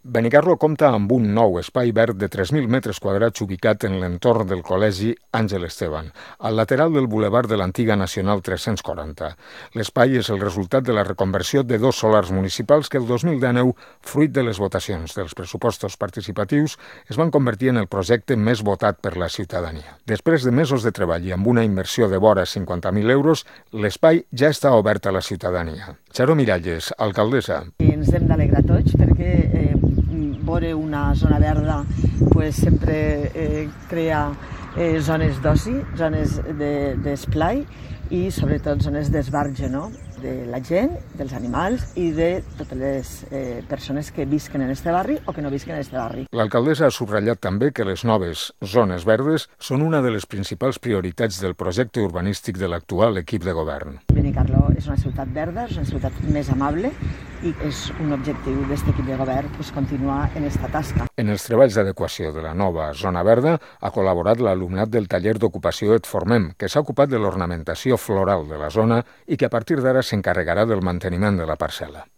Benicarló compta amb un nou espai verd de 3.000 metres quadrats ubicat en l'entorn del Col·legi Àngel Esteban, al lateral del bulevard de l'antiga Nacional 340. L'espai és el resultat de la reconversió de 2 solars municipals que el 2019, fruit de les votacions dels pressupostos participatius, es van convertir en el projecte més votat per la ciutadania. Després de mesos de treball i amb una inversió de vora 50.000 euros, l'espai ja està obert a la ciutadania. Charo Miralles, alcaldessa. Ens hem d'alegrar tots perquè veure una zona verda sempre crea zones d'oci, zones d'esplai i sobretot zones d'esbarge, de la gent, dels animals i de totes les persones que visquen en este barri o que no visquen en este barri. L'alcaldessa ha subratllat també que les noves zones verdes són una de les principals prioritats del projecte urbanístic de l'actual equip de govern. Benicarló és una ciutat verda, és una ciutat més amable i és un objectiu d'aquest equip de govern continuar en aquesta tasca. En els treballs d'adequació de la nova zona verda ha col·laborat l'alumnat del taller d'ocupació Et Formem, que s'ha ocupat de l'ornamentació floral de la zona i que a partir d'ara s'encarregarà del manteniment de la parcel·la.